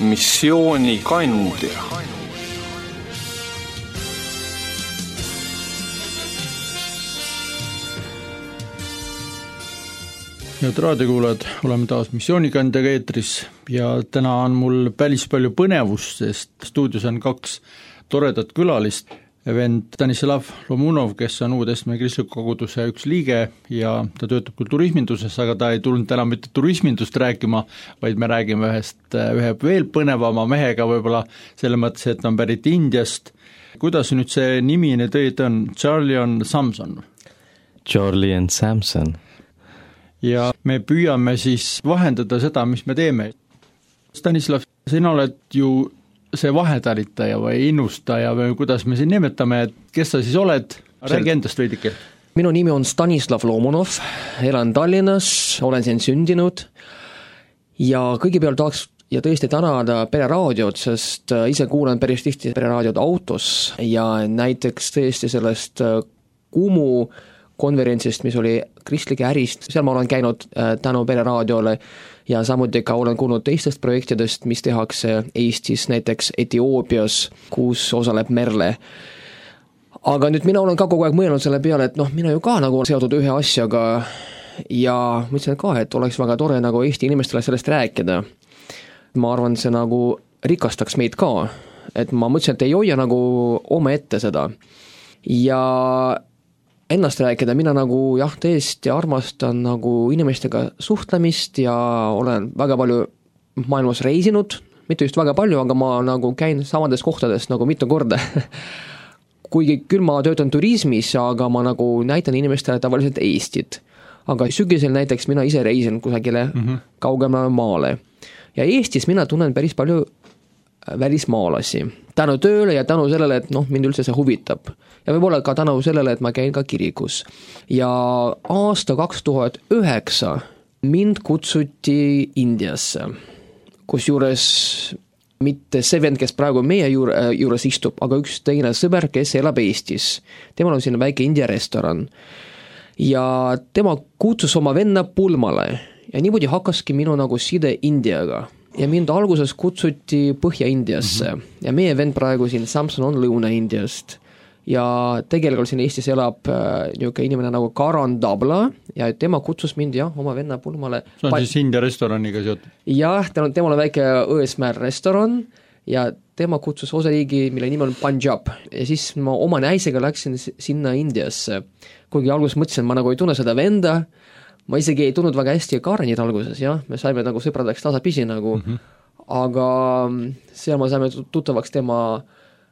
missioonikandja. Head raadiokuulajad, oleme taas missioonikandjaga eetris ja täna on mul päris palju põnevust, sest stuudios on kaks toredat külalist. Vend Stanislav Lomunov, kes on Uue-Testamendi kristliku koguduse üks liige ja ta töötab küll turisminduses, aga ta ei tulnud täna mitte turismindust rääkima, vaid me räägime ühe veel põnevama mehega võib-olla selle mõttes, et on pärit Indiast. Kuidas nüüd see nimi nüüd õieti on? Charlie and Samson. Charlie and Samson. Ja me püüame siis vahendada seda, mis me teeme. Stanislav, sina oled ju see vahetaritaja või innustaja või kuidas me siin nimetame, et kes sa siis oled? Räägi endast veidike. Minu nimi on Stanislav Lomunov, elan Tallinnas, olen siin sündinud ja kõigepealt tahaks ja tõesti tänada Pereraadiot, sest ise kuulen päris tihti Pereraadiot autos ja näiteks tõesti sellest Kumu konverentsist, mis oli kristlike ärist, seal ma olen käinud tänu Pereraadiole ja samuti ka olen kuulnud teistest projektidest, mis tehakse Eestis, näiteks Etioopias, kus osaleb Merle. Aga nüüd mina olen ka kogu aeg mõelnud selle peale, et mina ju ka nagu seotud ühe asjaga ja mõtlesin ka, et oleks väga tore nagu Eesti inimestele sellest rääkida. Ma arvan, see nagu rikastaks meid ka, et ma mõtlesin, et ei hoia nagu oma ette seda ja ennast rääkida, mina nagu tõesti armastan nagu inimestega suhtlemist ja olen väga palju maailmas reisinud, mitte just väga palju, aga ma nagu käin samades kohtades nagu mitu korda. Kuigi küll ma töötan turismis, aga ma nagu näitan inimestele tavaliselt Eestit. Aga sügisel näiteks mina ise reisin kusagile kaugemale maale. Ja Eestis mina tunnen päris palju välismaalasi. Tänu tööle ja tänu sellele, et mind üldse see huvitab. Ja võib-olla ka tänu sellele, et ma käin ka kirikus. Ja aasta 2009 mind kutsuti Indiasse, kusjuures mitte see vend, kes praegu meie juures istub, aga üks teine sõber, kes elab Eestis. Temal on siin väike India restoran. Ja tema kutsus oma venna pulmale ja niimoodi hakkaski minu nagu side Indiaga. Ja mind alguses kutsuti Põhja-Indiasse ja meie vend praegu siin Samson on Lõuna-Indiast ja tegelikult siin Eestis elab inimene nagu Karan Dabla ja tema kutsus mind oma venna pulmale. See on siis India restoraniga seotud? Jah, temal on väike Õesmäär restoran ja tema kutsus osariigi, mille nimi on Punjab ja siis ma oma naisega läksin sinna Indiasse, kuigi alguses mõtlesin, ma nagu ei tunne seda venda. Ma isegi ei tundnud väga hästi Karanit alguses, me saime nagu sõpradeks tasapisi nagu, aga seal me saime tuttavaks tema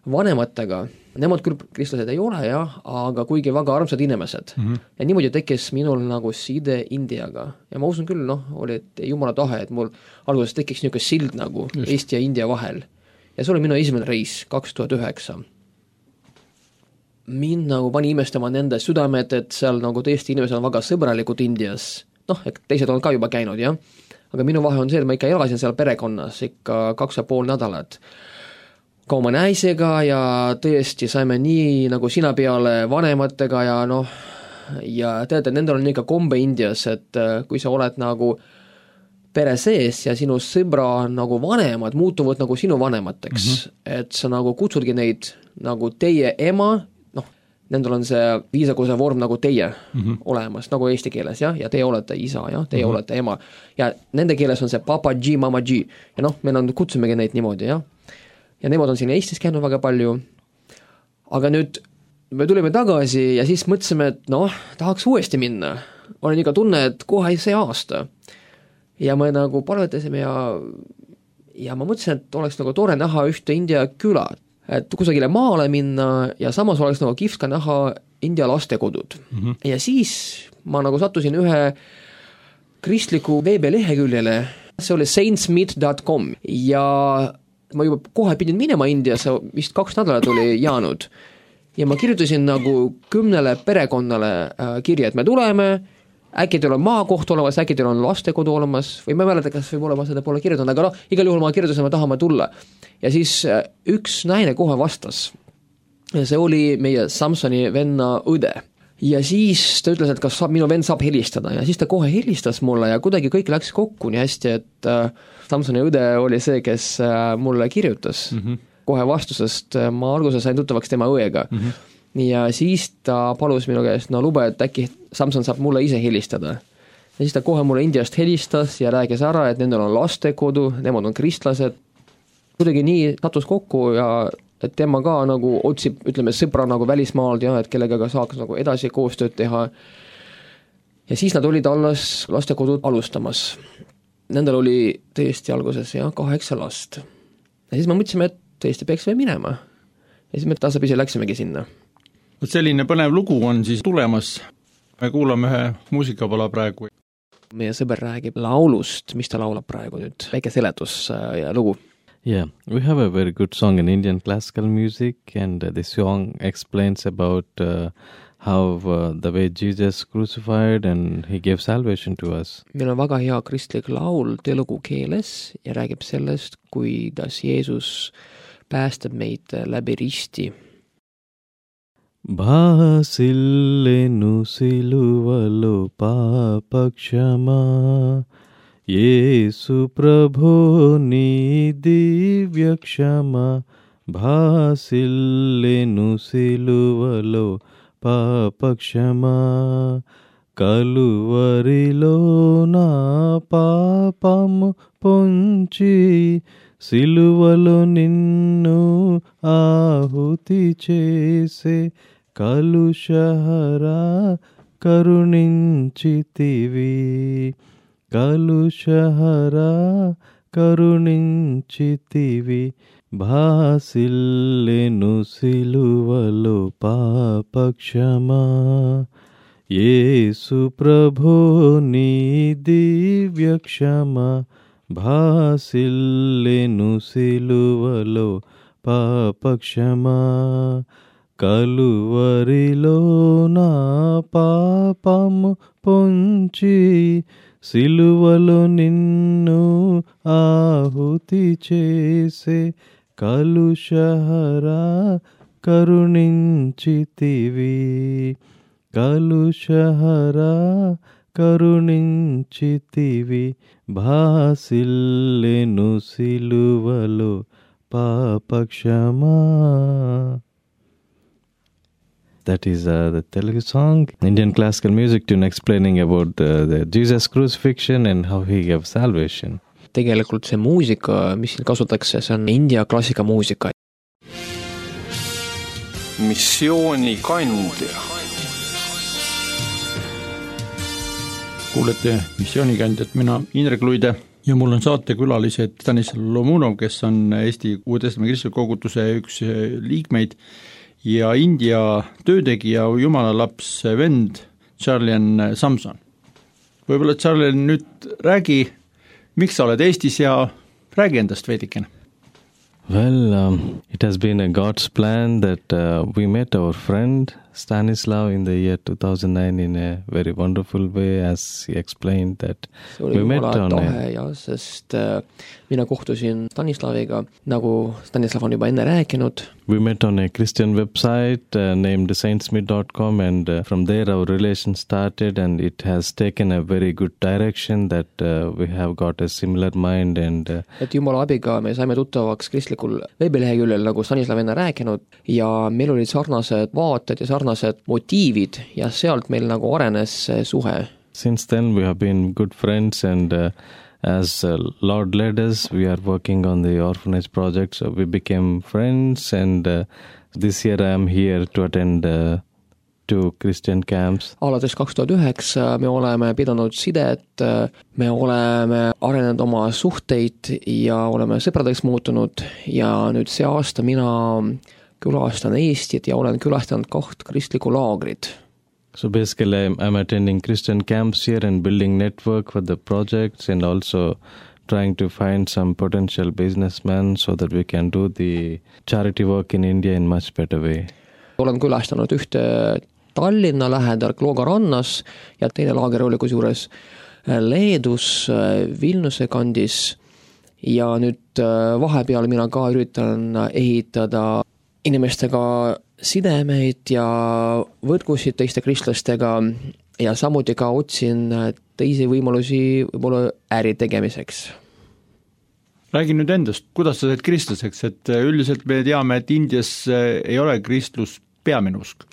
vanematega. Nemad küll kristlased ei ole, aga kuigi väga armsad inimesed. Ja niimoodi tekkis minul nagu side Indiaga. Ja ma usun küll, oli jumala tahe, et mul alguses tekkis niisugune sild nagu Eesti ja India vahel. Ja see oli minu esimene reis 2009. Mind nagu pani imestama nende südamed, et seal nagu tõesti inimesed on väga sõbralikud Indias. Teised on ka juba käinud, aga minu vahe on see, et ma ikka elasin seal perekonnas ikka 2,5 nädalat. Ka oma naisega ja tõesti saime nii nagu sina peale vanematega ja teate, nendel on ikka kombe Indias, et kui sa oled nagu pere sees ja sinu sõbra nagu vanemad muutuvad nagu sinu vanemateks, et sa nagu kutsudki neid nagu teie ema, nendel on see viisakuse vorm nagu teie olemas, nagu eesti keeles, ja teie olete isa, teie olete ema. Ja nende keeles on see papa G, mama G. Ja me kutsumegi neid niimoodi, ja nemad on siin Eestis käinud väga palju. Aga nüüd me tulime tagasi ja siis mõtlesime, et tahaks uuesti minna. Olen ikka tunne, et kohe see aasta. Ja me nagu palvetasime ja ma mõtlesin, et oleks nagu tore näha ühte India küla. Et kusagile maale minna ja samas oleks nagu kihvt ka näha India lastekodud. Ja siis ma nagu sattusin ühe kristliku veebileheküljele, see oli saintsmeet.com ja ma juba kohe pidin minema Indiasse, vist 2 nädalat oli jäänud ja ma kirjutasin nagu 10 perekonnale kirja, et me tuleme, äkki teil on maakoht olemas, äkki teil on lastekodu olemas või ma ei mäleta, kas võib-olla ma seda pole kirjutanud, aga igal juhul ma kirjutasin, me tahame tulla. Ja siis üks naine kohe vastas. See oli meie Samsoni venna õde. ja siis ta ütles, et kas minu vend saab helistada ja siis ta kohe helistas mulle ja kuidagi kõik läks kokku nii hästi, et Samsoni õde oli see, kes mulle kirjutas kohe vastusest, ma alguses sain tuttavaks tema õega. Ja siis ta palus minu käest, no lube, et äkki Samson saab mulle ise helistada. Ja siis ta kohe mulle Indiast helistas ja rääkis ära, et nendel on lastekodu, nemad on kristlased. Kuidagi nii sattus kokku ja et tema ka nagu otsib, ütleme, sõpra nagu välismaalt ja et kellega saaks nagu edasi koostööd teha. Ja siis nad olid alles lastekodud alustamas. Nendel oli tõesti alguses 8 last. Ja siis me mõtlesime, et tõesti peaks veel minema. Ja siis me tasapisi läksimegi sinna. Selline põnev lugu on siis tulemas. Me kuulame ühe muusikapala praegu. Meie sõber räägib laulust, mis ta laulab praegu nüüd. Väike seletus ja lugu. Yeah, we have a very good song in Indian classical music, and this song explains about how the way Jesus crucified and he gave salvation to us. Meil on väga hea kristlik laul telugu keeles ja räägib sellest, kuidas Jeesus päästab meid läbi risti. Bhasilenu siluvalo papakshama Yesu Prabhu ni divya kshama Bhasilenu siluvalo papakshama Kaluvarilo na papamu ponchi Siluvalo ninnu ahuti chese Kalushahara karuninchitivi Kalushahara karuninchitivi Bhasilenu siluvalo papakshama Yesu Prabhu ni divya kshama Bhasilenu siluvalo papakshama Kaluvarilo na papamu ponchi Siluvalo ninnu ahuti chese Kalushahara karuninchitivi Kalushahara karuninchitivi Bhasilenu siluvalo papakshama. That is the Telugu song, Indian classical music tune explaining about the Jesus crucifixion and how he gave salvation. Tegelikult see muusika, mis siin kasutatakse, see on India klassikamuusika. Missioonikandja. Kuulete missioonikandjat, mina Indrek Luide ja mul on saatekülalised Stanislav Lomunov, kes on Eesti Uue-Testamendi kristliku koguduse üks liikmeid ja India töötegija, jumala laps vend Charlian Samson. Võib-olla Charlian nüüd räägi, miks sa oled Eestis ja räägi endast veidikene. Well, it has been a God's plan that we met our friend Stanislav in the year 2009 in a very wonderful way, as he explained that we met on sest mina kohtusin Stanislaviga, nagu Stanislav on juba enne rääkinud. We met on a Christian website named saintsmith.com, and from there our relation started, and it has taken a very good direction that we have got a similar mind. And et jumala abiga me saime tuttavaks kristlikul veebileheküljel, nagu Stanislav enne rääkinud, ja meil olid sarnased vaated ja sarnased motiivid ja sealt meil nagu arenes suhe. Since then we have been good friends, and as Lord led us, we are working on the orphanage project, so we became friends, and this year I am here to attend 2 Christian camps. Alates 2009 me oleme pidanud sidet, me oleme arenenud oma suhteid ja oleme sõpradeks muutunud ja nüüd see aasta mina külastan Eestit ja olen külastanud 2 kristlikku laagrit. So basically I'm attending Christian camps here and building network for the projects, and also trying to find some potential businessmen so that we can do the charity work in India in much better way. Olen külastanud ühte Tallinna lähedal Klooga rannas ja teine laager oli kusjuures Leedus Vilniuse kandis ja nüüd vahepeal mina ka üritan ehitada inimestega sidemeid ja võrgusid teiste kristlastega ja samuti ka otsin teisi võimalusi võib-olla äri tegemiseks. Räägi nüüd endast, kuidas sa said kristlaseks, et üldiselt me teame, et Indias ei ole kristlus peamine usk.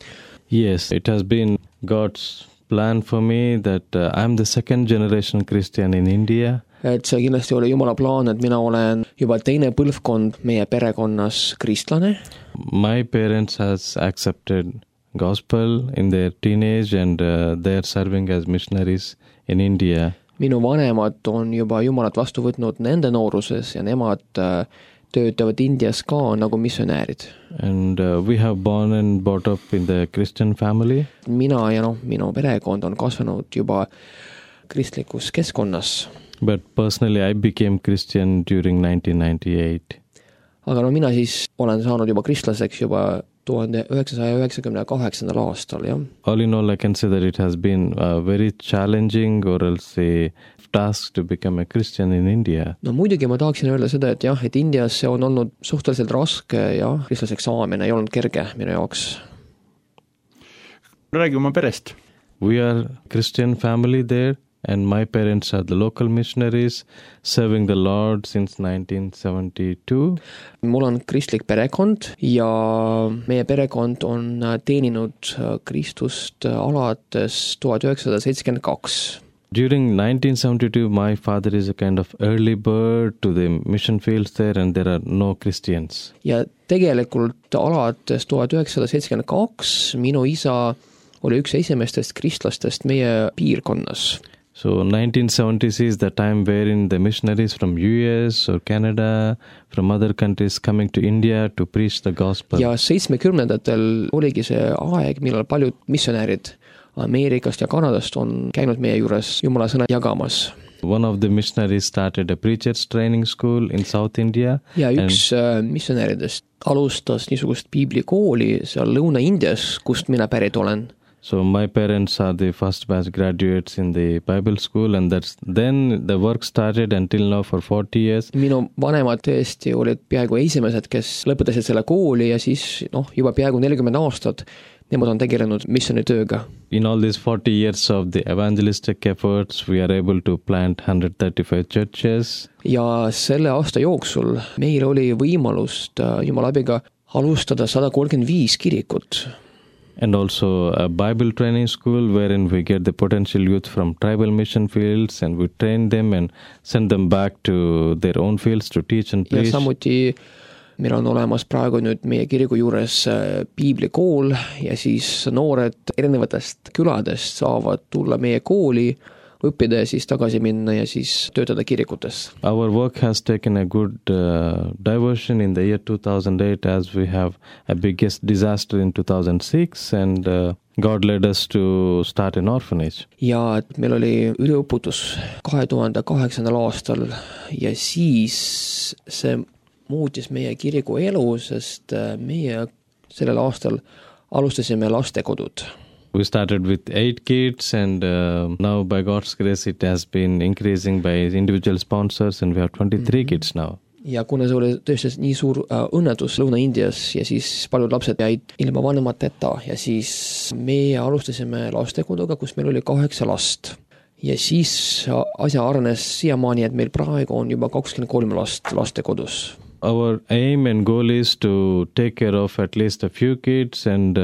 Yes, it has been God's plan for me that I'm the second generation Christian in India. Et see kindlasti oli Jumala plaan, et mina olen juba teine põlvkond meie perekonnas kristlane. My parents has accepted gospel in their teenage and they are serving as missionaries in India. Minu vanemad on juba Jumalat vastu võtnud nende nooruses ja nemad töötavad Indias ka nagu missionäärid. And we have born and brought up in the Christian family. Mina ja minu perekond on kasvanud juba kristlikus keskkonnas. But personally I became Christian during 1998. Aga mina siis olen saanud juba kristlaseks juba 1998. aastal, jah. All in all, I can say that it has been very challenging or else a task to become a Christian in India. No muidugi ma tahaksin öelda seda, et jah, et Indias see on olnud suhteliselt raske ja kristlaseks saamine ei olnud kerge minu jaoks. Räägi oma perest. We are Christian family there. And my parents are the local missionaries serving the Lord since 1972. Mul on kristlik perekond ja meie perekond on teeninud Kristust alates 1972. During 1972, my father is a kind of early bird to the mission fields there and there are no Christians. Ja tegelikult alates 1972 minu isa oli üks esimestest kristlastest meie piirkonnas. So 1970s is the time wherein the missionaries from US or Canada, from other countries coming to India to preach the gospel. Ja 70-ndatel oligi see aeg, millal paljud missionäärid Ameerikast ja Kanadast on käinud meie juures Jumala sõna jagamas. One of the missionaries started a preacher's training school in South India. Ja üks missionääridest alustas niisugust piiblikooli seal Lõuna-Indias, kust mina pärit olen. So my parents are the first batch graduates in the Bible school and then the work started until now for 40 years. Minu vanemad tõesti olid peaaegu esimesed, kes lõpetasid selle kooli ja siis juba peaaegu 40 aastat nemad on tegelenud missionitööga. In all these 40 years of the evangelistic efforts, we are able to plant 135 churches. Ja selle aasta jooksul meil oli võimalust Jumala abiga alustada 135 kirikut. And also a Bible training school wherein we get the potential youth from tribal mission fields and we train them and send them back to their own fields to teach and preach. Ja samuti meil on olemas praegu nüüd meie kiriku juures piiblikool ja siis noored erinevatest küladest saavad tulla meie kooli, õppida ja siis tagasi minna ja siis töötada kirikutes. Our work has taken a good diversion in the year 2008 as we have a biggest disaster in 2006 and God led us to start an orphanage. Ja meil oli üleõputus 2008. aastal ja siis see muutis meie kiriku elu, sest meie sellel aastal alustasime lastekodud. We started with 8 kids and now by God's grace it has been increasing by individual sponsors and we have 23 kids now. Ja kuna see oli tõesti nii suur õnnetus Lõuna-Indias ja siis paljud lapsed jäid ilma vanemateta ja siis me alustasime lastekoduga, kus meil oli 8 last. Ja siis asja arenes siiamaani, et meil praegu on juba 23 last lastekodus. Our aim and goal is to take care of at least a few kids and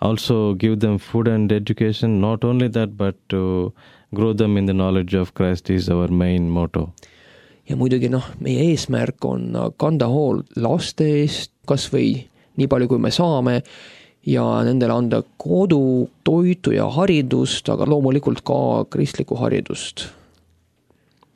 also give them food and education. Not only that, but to grow them in the knowledge of Christ is our main motto. Ja muidugi meie eesmärk on kanda hool laste eest, kas või nii palju kui me saame ja nendele anda kodu, toitu ja haridust, aga loomulikult ka kristlikku haridust.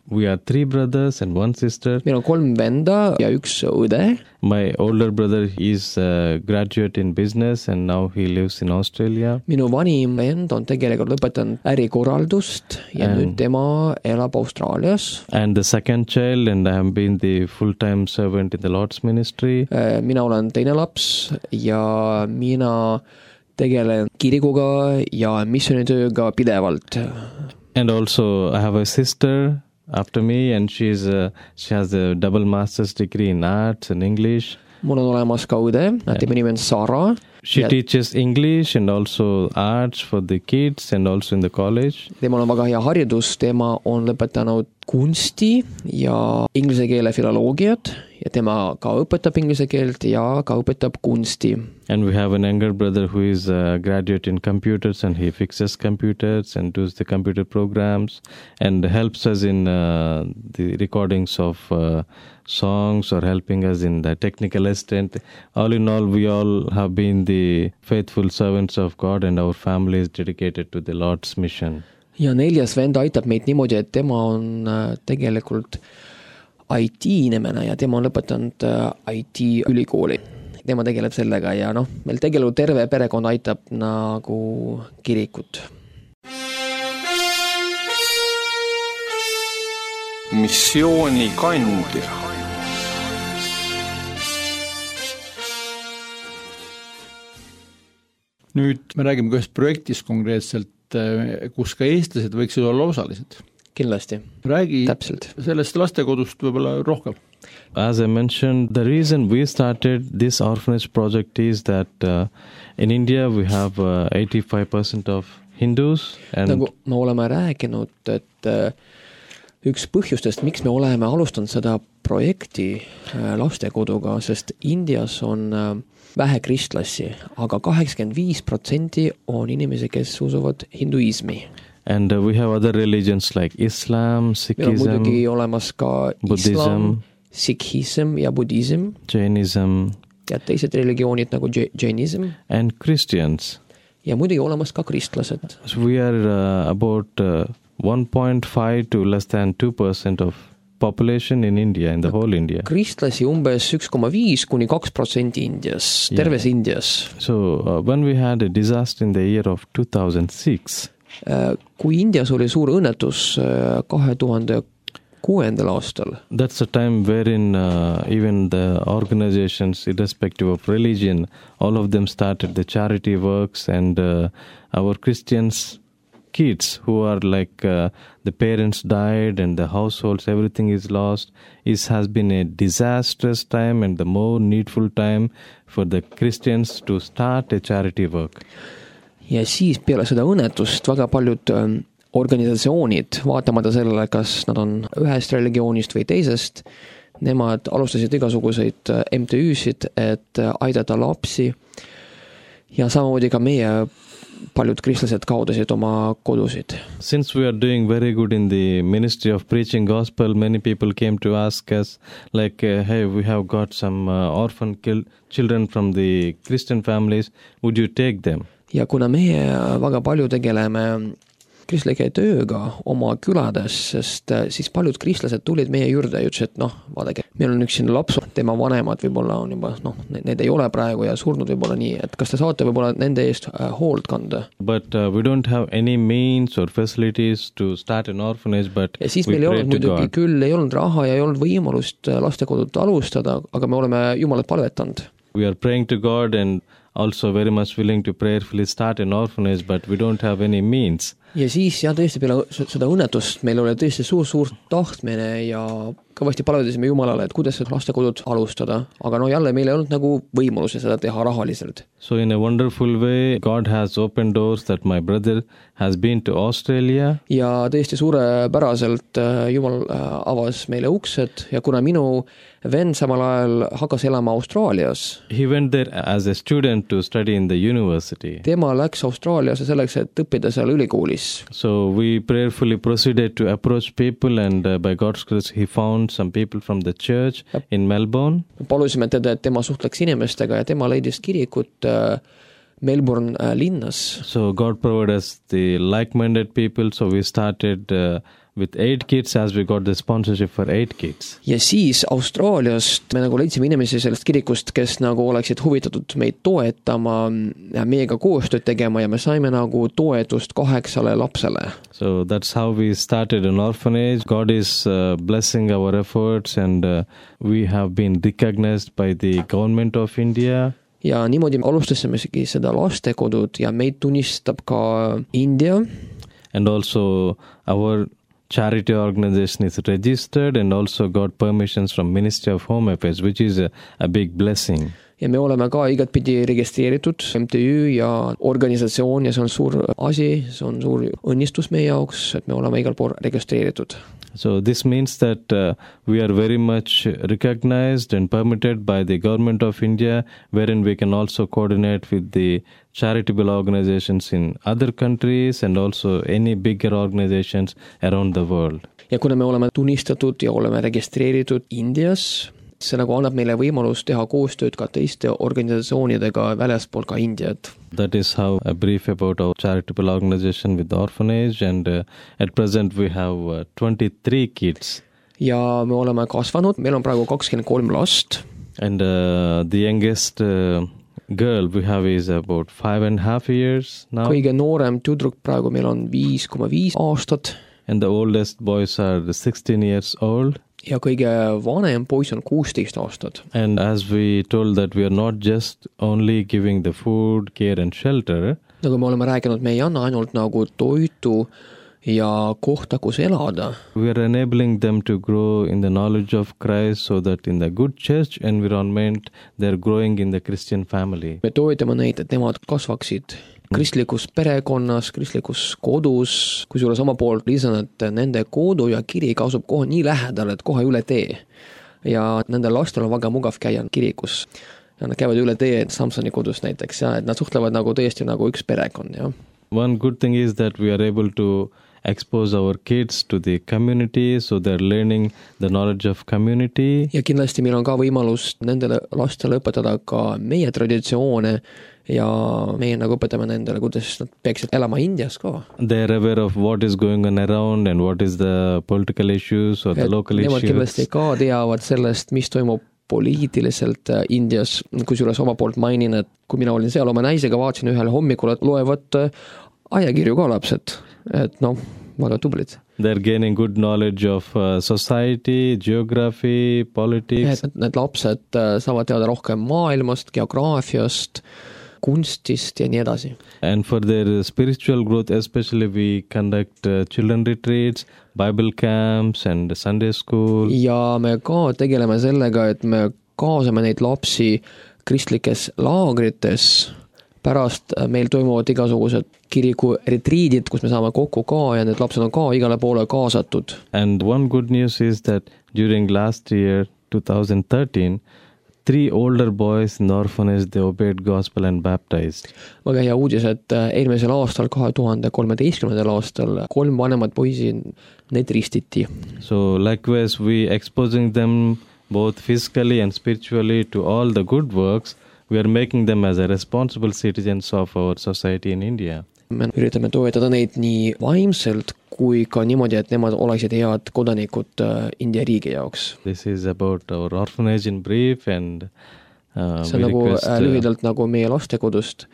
We are 3 brothers and 1 sister. Meil on 3 venda ja 1 õde. My older brother is a graduate in business and now he lives in Australia. Minu vanim vend on tegelikult lõpetanud ärikorraldust ja nüüd tema elab Austraalias. And the second child and I have been the full-time servant in the Lord's ministry. Mina olen teine laps ja mina tegelen kirikuga ja missionitööga pidevalt. And also I have a sister after me and she has a double master's degree in arts and English. Mul on olemas ka õde, tema nimi on Sara She teaches English and also arts for the kids and also in the college. Temal on väga hea haridus, tema on lõpetanud kunsti ja inglise keele filoloogiat ja tema ka õpetab inglise keelt ja ka õpetab kunsti. And we have an younger brother who is a graduate in computers and he fixes computers and does the computer programs and helps us in the recordings of songs or helping us in the technical assistant. All in all, we all have been the faithful servants of God and our family is dedicated to the Lord's mission. Ja 4. vend aitab meid niimoodi, et tema on tegelikult IT-inimene ja tema on lõpetanud IT-ülikooli. Tema tegeleb sellega ja meil tegelikult terve perekond aitab nagu kirikut. Missioonikandja. Nüüd me räägime ühest projektist konkreetselt, kus ka eestlased võiksid olla osalised. Kindlasti. Räägi Täpselt. Sellest lastekodust võib-olla rohkem. As I mentioned, the reason we started this orphanage project is that in India we have 85% of Hindus. And nagu me oleme rääkinud, et üks põhjustest, miks me oleme alustanud seda projekti lastekoduga, sest Indias on vähe kristlasi, aga 85% on inimesi, kes usuvad hinduismi. And we have other religions like Islam, Sikhism, meil on muidugi olemas ka Buddhism, Islam, Sikhism ja Buddhism Jainism ja teised religioonid nagu Jainism and Christians. Ja muidugi olemas ka kristlased. So we are about 1.5 to less than 2% of population in India, in the whole India. Kristlasi umbes 1,5 kuni 2% Indias, terves Indias. So when we had a disaster in the year of 2006, kui Indias oli suur õnnetus 2006. aastal. That's a time wherein even the organizations, irrespective of religion, all of them started the charity works and our Christians kids who are like the parents died and the households, everything is lost. It has been a disastrous time and the more needful time for the Christians to start a charity work. Ja siis peale seda õnnetust väga paljud organisatsioonid, vaatamata sellele, kas nad on ühest religioonist või teisest, nemad alustasid igasuguseid MTÜ-sid, et aidata lapsi ja samamoodi ka meie paljud kristlased kaotasid oma kodusid. Since we are doing very good in the ministry of preaching gospel, many people came to ask us like, hey, we have got some orphan children from the Christian families, would you take them? Ja kuna meie väga palju tegeleme kristlike tööga oma külades, sest siis paljud kristlased tulid meie juurde ja ütlesid, et vaadake, meil on üks siin laps, tema vanemad võib-olla on juba, need ei ole praegu ja surnud võib-olla nii, et kas te saate võib-olla nende eest hoolt kanda? But we don't have any means or facilities to start an orphanage, but ja siis meil ei olnud muidugi küll, ei olnud raha ja ei olnud võimalust lastekodut alustada, aga me oleme Jumalat palvetanud. We are praying to God and also very much willing to prayerfully start an orphanage, but we don't have any means. Ja siis tõesti peale seda õnnetust meil oli tõesti suur tahtmine ja kõvasti palvetasime Jumalale, et kuidas seda lastekodut alustada, aga jälle meil ei olnud nagu võimalusi seda teha rahaliselt. So in a wonderful way, God has opened doors that my brother has been to Australia. Ja tõesti suurepäraselt Jumal avas meile uksed ja kuna minu vend samal ajal hakkas elama Austraalias. He went there as a student to study in the university. Tema läks Austraaliasse selleks, et õppida seal ülikoolis. So we prayerfully proceeded to approach people and by God's grace he found some people from the church in Melbourne. Palusime teda, et tema suhtleks inimestega ja tema leidis kirikut Melbourne linnas. So God provided us the like-minded people, so we started with 8 kids as we got the sponsorship for 8 kids. Ja siis Austraaliast me nagu leidsime inimesi sellest kirikust, kes nagu oleksid huvitatud meid toetama ja meiega koostööd tegema ja me saime nagu toetust 8 lapsele. So that's how we started an orphanage. God is blessing our efforts and we have been recognized by the government of India. Ja niimoodi alustasimegi seda lastekodud ja meid tunnistab ka India. And also our charity organization is registered and also got permissions from Ministry of Home Affairs, which is a big blessing. ja me oleme ka igatpidi registreeritud MTÜ ja organisatsioon ja see on suur asi, see on suur õnnistus meie jaoks, et me oleme igal pool registreeritud. So this means that we are very much recognized and permitted by the government of India, wherein we can also coordinate with the charitable organizations in other countries and also any bigger organizations around the world. Ja kuna me oleme tunnistatud ja oleme registreeritud Indias, see nagu annab meile võimalus teha koostööd ka teiste organisatsioonidega väljaspool ka Indiat. That is how a brief about our charitable organization with the orphanage, and at present we have 23 kids. Ja me oleme kasvanud, meil on praegu 23 last. And the youngest girl we have is about 5.5 years now. Kõige noorem tüdruk praegu meil on 5,5 aastat. And the oldest boys are 16 years old. Ja kõige vanem poiss on 16 aastat. And as we told that we are not just only giving the food, care and shelter. Nagu me oleme rääkinud, me ei anna ainult nagu toitu ja kohta, kus elada. We are enabling them to grow in the knowledge of Christ so that in the good church environment they are growing in the Christian family. Me toetame neid, et nemad kasvaksid kristlikus perekonnas, kristlikus kodus, kusjuures sama poolt lisan, et nende kodu ja kirik asub kohe nii lähedal, et kohe üle tee. Ja nende lastel on väga mugav käia kirikus. Ja nad käivad üle tee Samsoni kodus näiteks, ja et nad suhtlevad nagu tõesti nagu üks perekond. Ja. One good thing is that we are able to expose our kids to the community, so they are learning the knowledge of community. Ja kindlasti meil on ka võimalus nendele lastele õpetada ka meie traditsioone ja meie nagu õpetame nendele, kuidas nad peaksid elama Indias ka. They are aware of what is going on around and what is the political issues or the local nemad issues. Kindlasti ka teavad sellest, mis toimub poliitiliselt Indias, kusjuures oma poolt mainin, et kui mina olin seal oma naisega, vaatasin ühel hommikul, et loevad ajakirju ka lapsed, et väga tublid. They are gaining good knowledge of society, geography, politics. Need lapsed saavad teada rohkem maailmast, geograafiast, kunstist ja nii edasi. And for their spiritual growth, especially we conduct children retreats, Bible camps and Sunday school. Ja me ka tegeleme sellega, et me kaasame neid lapsi kristlikes laagrites. Pärast meil toimuvad igasugused kiriku retriidid, kus me saame kokku ka ja need lapsed on ka igale poole kaasatud. And one good news is that during last year, 2013, 3 older boys in the orphanage, they obeyed gospel and baptized. Väga hea uudis, et eelmisel aastal, 2013. aastal, 3 vanemad poisi, need ristiti. So likewise, we exposing them both physically and spiritually to all the good works. We are making them as a responsible citizens of our society in India. Me üritame toetada neid nii vaimselt kui ka niimoodi, et nemad oleksid head kodanikud India riigi jaoks. This is about our orphanage in brief and see on nagu lühidalt nagu meie lastekodust.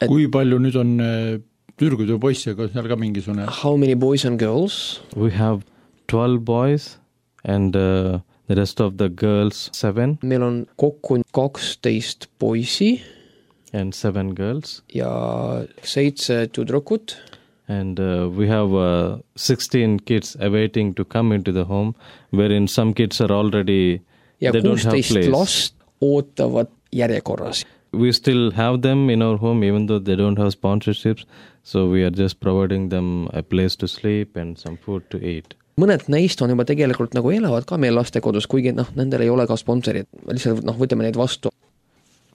Kui palju nüüd on tüdrukud ja poisse, kas seal ka mingisugune? How many boys and girls? We have 12 boys and the rest of the girls 7. Meil on kokku 12 poisi. And 7 girls. Ja 7 tüdrukut. And we have 16 kids awaiting to come into the home, wherein some kids are already, ja they don't have place. Ja 16 last ootavad järjekorras. We still have them in our home, even though they don't have sponsorships. So we are just providing them a place to sleep and some food to eat. Mõned neist on juba tegelikult nagu elavad ka meil lastekodus, kuigi nendel ei ole ka sponsorid. Lihtsalt võtame neid vastu.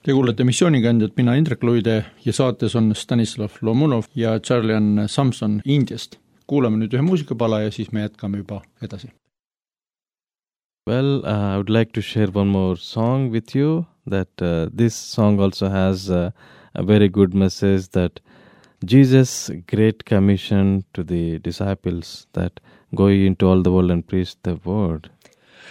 Te kuulete Missioonikandjat, mina Indrek Luide ja saates on Stanislav Lomunov ja Charlian Samson Indiast. Kuulame nüüd ühe muusikapala ja siis me jätkame juba edasi. Well, I would like to share one more song with you. That this song also has a very good message that Jesus' great commission to the disciples that go into all the world and preach the word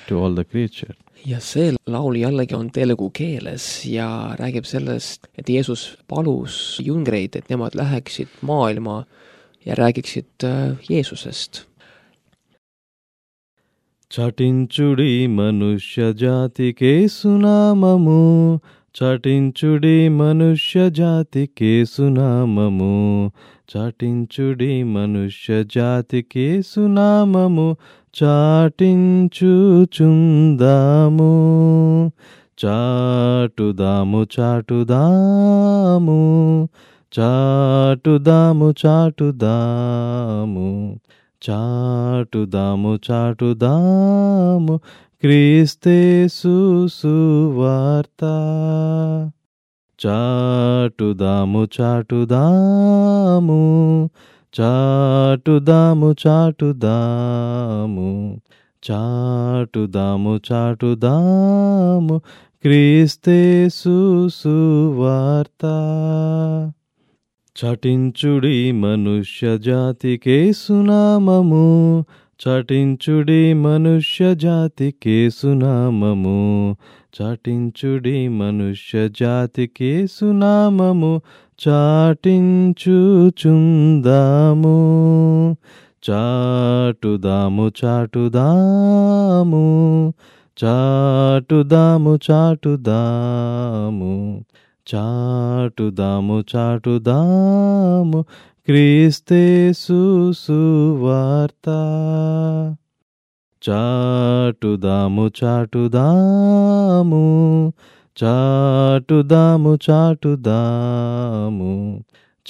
to all the creatures. Ja see laul jällegi on telugu keeles ja räägib sellest, et Jeesus palus jüngreid, et nemad läheksid maailma ja räägiksid Jeesusest. చాటించుడి మనుష్య జాతికే సునామము చాటించుడి మనుష్య జాతికే సునామము చాటించుడి మనుష్య జాతికే సునామము చాటించుచుందాము చాటుదాము చాటుదాము చాటుదాము చాటుదాము చాటుదాము చాటుదాము క్రీస్తేసు సువార్త చాటుదాము చాటుదాము చాటుదాము చాటుదాము చాటుదాము చాటుదాము క్రీస్తేసు సువార్త చాటించుడి మనుష్య జాతికే సునామము చాటించుడి మనుష్య జాతికే సునామము చాటించుడి మనుష్య జాతికే సునామము చాటించుచుందాము చాటుదాము చాటుదాము చాటుదాము చాటుదాము చాటుదాము చాటుదాము క్రీస్తేసు సువార్త చాటుదాము చాటుదాము చాటుదాము చాటుదాము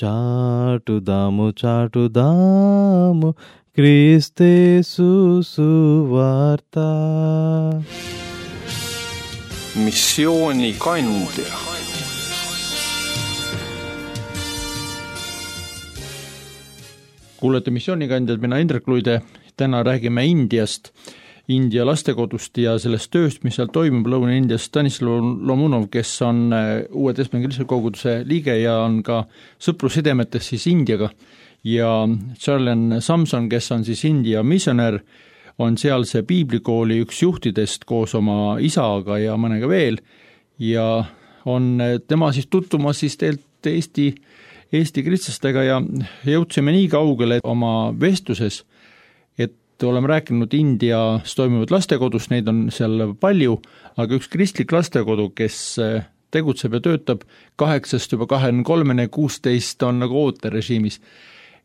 చాటుదాము చాటుదాము క్రీస్తేసు సువార్త Missioonikandja. Kuulete missioonikandjad, mina Indrek Luide, täna räägime Indiast, India lastekodust ja sellest tööst, mis seal toimub Lõuna-Indias. Stanislav Lomunov, kes on Uue Testamendi koguduse liige ja on ka sõprusidemetes siis Indiaga, ja Charlen Samson, kes on siis India missionär, on sealse piiblikooli üks juhtidest koos oma isaga ja mõnega veel, ja on tema siis tutvumas siis teelt Eesti kristlastega ja jõudsime nii kaugele oma vestluses, et oleme rääkinud Indias toimuvad lastekodus, neid on seal palju, aga üks kristlik lastekodu, kes tegutseb ja töötab 8 juba 23, 16 on nagu ooterežiimis.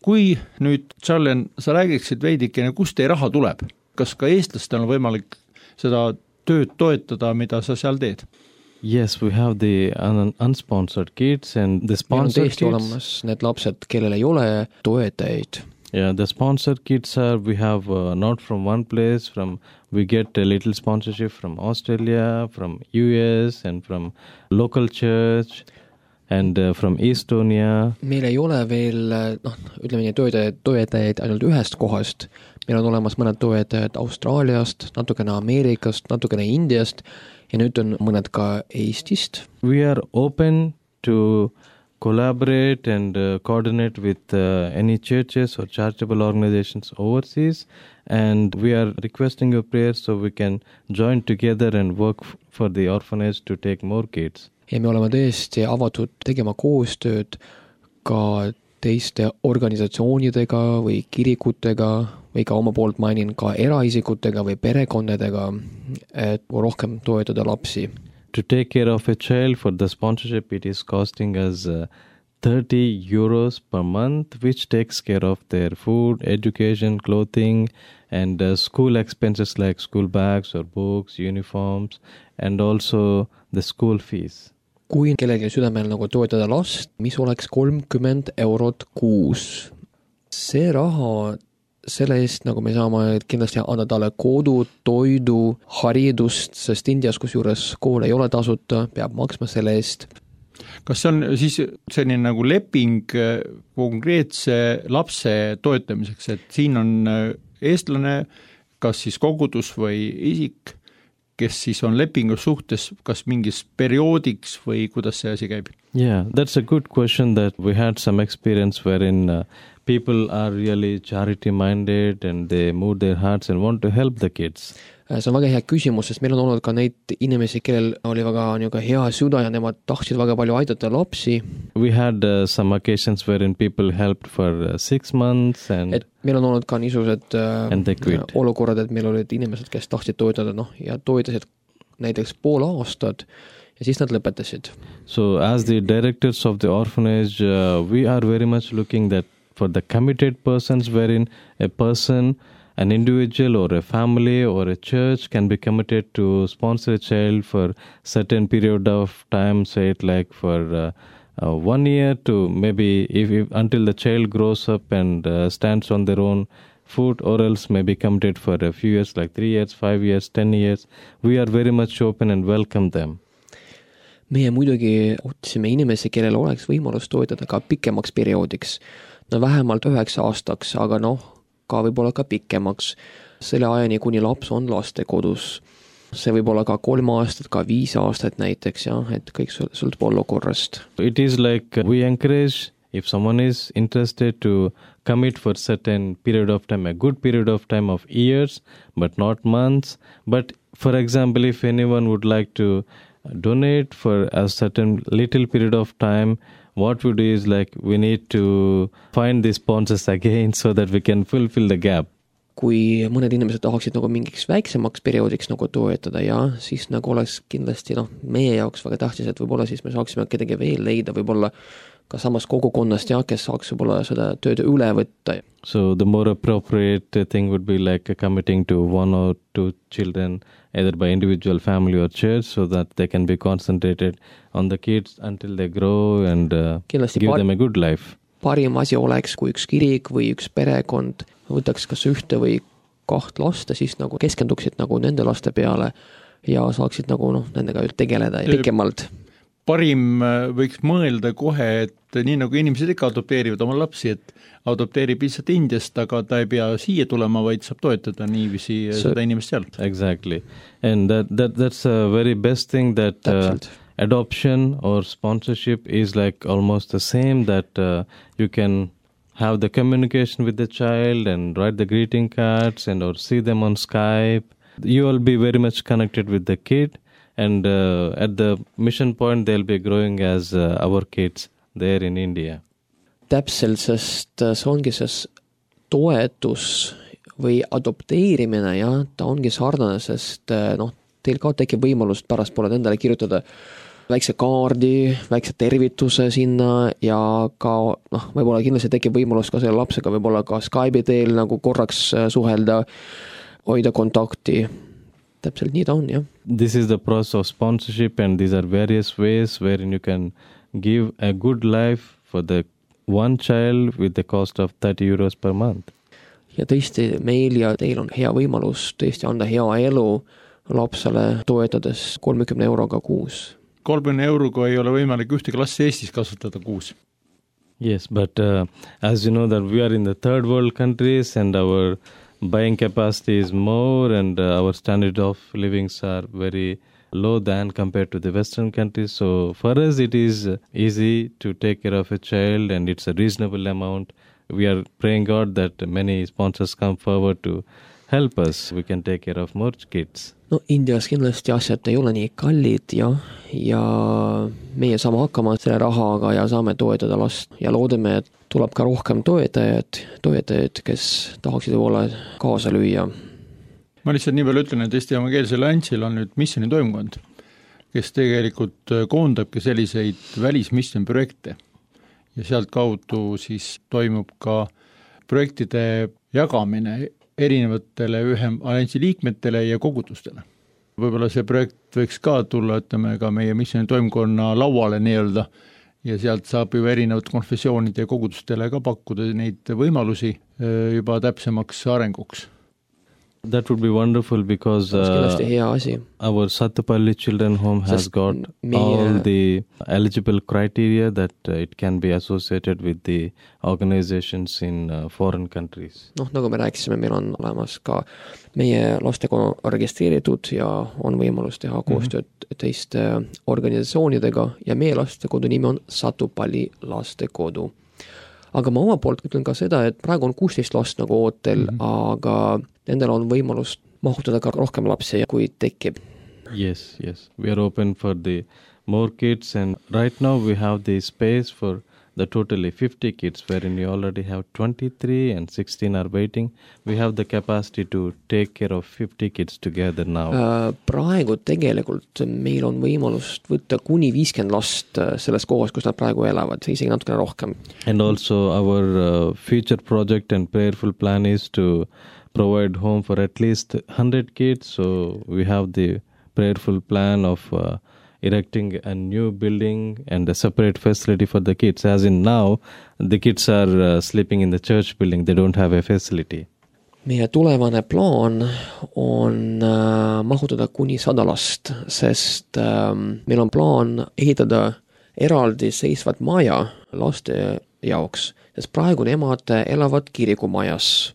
Kui nüüd, Charlen, sa räägiksid veidikene, kust teie raha tuleb? Kas ka eestlastel on võimalik seda tööd toetada, mida sa seal teed? Yes, we have the unsponsored kids and the sponsored kids. Olemas need lapsed, kellel ei ole toetajaid. Yeah, the sponsored kids are, we have not from one place, we get a little sponsorship from Australia, from US and from local church and from Estonia. Meil ei ole veel, ütleme nii, toetajaid ainult ühest kohast. Meil on olemas mõned toetajad Austraaliast, natukene Ameerikast, natukene Indiast ja nüüd on mõned ka Eestist. We are open to collaborate and coordinate with any churches or charitable organizations overseas, and we are requesting your prayers so we can join together and work for the orphanage to take more kids. Ja me oleme tõesti avatud tegema koostööd ka teiste organisatsioonidega või kirikutega või ka oma poolt mainin ka eraisikutega või perekondadega, et rohkem toetada lapsi. To take care of a child for the sponsorship, it is costing us 30 euros per month, which takes care of their food, education, clothing, and school expenses like school bags or books, uniforms, and also the school fees. Kui kellelgi südamel nagu toetada last, mis oleks 30 eurot kuus. See raha, selle eest nagu me saame kindlasti anda talle kodu, toidu, haridust, sest Indias, kus juures kool ei ole tasuta, peab maksma selle eest. Kas see on siis selline nagu leping konkreetse lapse toetamiseks, et siin on eestlane, kas siis kogudus või isik, kes siis on lepingus suhtes, kas mingis perioodiks või kuidas see asi käib? Yeah, that's a good question that we had some experience wherein people are really charity-minded and they move their hearts and want to help the kids. See on väga hea küsimus, sest meil on olnud ka neid inimesi, kellel oli väga hea süda ja nemad tahtsid väga palju aidata lapsi. We had some occasions wherein people helped for 6 months and et meil on olnud ka niisugused olukorrad, et meil olid inimesed, kes tahtsid toetada ja toetasid näiteks pool aastat ja siis nad lõpetasid. So as the directors of the orphanage, we are very much looking that for the committed persons wherein a person an individual or a family or a church can be committed to sponsor a child for certain period of time, say it like for 1 year to maybe if until the child grows up and stands on their own foot, or else maybe committed for a few years, like 3 years, 5 years, 10 years. We are very much open and welcome them. Meie muidugi otsime inimesi, kellel oleks võimalus toetada ka pikemaks perioodiks. No vähemalt 9 aastaks, aga ka võib-olla ka pikemaks. Selle ajani, kuni laps on lastekodus. See võib olla ka 3 aastat, ka 5 aastat näiteks, et kõik sõltub olukorrast. It is like we encourage if someone is interested to commit for certain period of time, a good period of time of years, but not months. But for example, if anyone would like to donate for a certain little period of time, what we do is like we need to find the sponsors again so that we can fulfill the gap. Kui mõned inimesed tahaksid mingiks väiksemaks perioodiks toetada, siis oleks kindlasti meie jaoks väga tähtis, et võib-olla siis me saaksime kedagi veel leida, võib-olla ka samas kogukonnast, kes saaks võib-olla seda tööd üle võtta. So the more appropriate thing would be like committing to 1 or 2 children, either by individual family or church, so that they can be concentrated on the kids until they grow and give them a good life. Parim asi oleks, kui üks kirik või üks perekond võtaks kas 1 või 2 lasta, siis keskenduksid nende laste peale ja saaksid nendega tegeleda pikemalt. Parim võiks mõelda kohe, et nii nagu inimesed ikka adopteerivad oma lapsi, et adopteerib lihtsalt Indiast, aga ta ei pea siia tulema, vaid saab toetada niiviisi seda inimest seal. Exactly. And that's a very best thing that adoption or sponsorship is like almost the same, that you can have the communication with the child and write the greeting cards and or see them on Skype. You will be very much connected with the kid. And at the mission point, they'll be growing as our kids there in India. Täpselt, sest see ongi see toetus või adopteerimine, ta ongi sarnane, sest teil ka tekib võimalust pärast poole endale kirjutada väikse kaardi, väikse tervituse sinna ja ka võib-olla kindlasti tekib võimalus ka selle lapsega võib-olla ka Skype'i teel korraks suhelda, hoida kontakti. Täpselt nii ta on, This is the process of sponsorship, and these are various ways wherein you can give a good life for the one child with the cost of 30 euros per month. Ja tõesti meil ja teil on hea võimalus tõesti anda hea elu lapsele toetades 30 euroga kuus. 30 euroga ei ole võimalik ühte klassi Eestis kasutada kuus. Yes, but as you know that we are in the third world countries and our buying capacity is more and our standard of livings are very low than compared to the Western countries. So for us it is easy to take care of a child and it's a reasonable amount. We are praying God that many sponsors come forward to help us. We can take care of more kids. Indias kindlasti asjad ei ole nii kallid ja meie saame hakkama selle rahaga ja saame toetada last ja loodame, et tuleb ka rohkem toetajaid, kes tahaksid olla kaasa lüüa. Ma lihtsalt nii palju ütlen, et Eesti Evangeelsel Alliansil on nüüd missiooni toimkond, kes tegelikult koondabki selliseid välismissiooni projekte ja sealt kaudu siis toimub ka projektide jagamine erinevatele alliansi liikmetele ja kogudustele. Võib-olla see projekt võiks ka tulla, ütleme, ka meie missiooni toimkonna lauale nii-öelda ja sealt saab juba erinevad konfessioonide ja kogudustele ka pakkuda neid võimalusi juba täpsemaks arenguks. That would be wonderful because our Satupalli Children Home has got all the eligible criteria that it can be associated with the organizations in foreign countries. Nagu me rääkisime, meil on olemas ka meie lastega registreeritud ja on võimalus teha koostööd teiste organisatsioonidega ja meie lastekodu nimi on Satupalli lastekodu. Aga ma oma poolt ütlen ka seda, et praegu on 16 last ootel, aga nendel on võimalus mahutada ka rohkem lapsi, kui tekib. Yes. We are open for the more kids and right now we have the space for the totally 50 kids wherein we already have 23 and 16 are waiting. We have the capacity to take care of 50 kids together now. Praegu tegelikult meil on võimalust võtta kuni 50 last selles kohas, kus nad praegu elavad, isegi natukene rohkem. And also our future project and prayerful plan is to provide home for at least 100 kids. So we have the prayerful plan of erecting a new building and a separate facility for the kids. As in now, the kids are sleeping in the church building. They don't have a facility. Meie tulevane plaan on mahutada kuni 100 last, sest meil on plaan ehitada eraldi seisvat maja laste jaoks, sest praegu nemad elavad kirikumajas.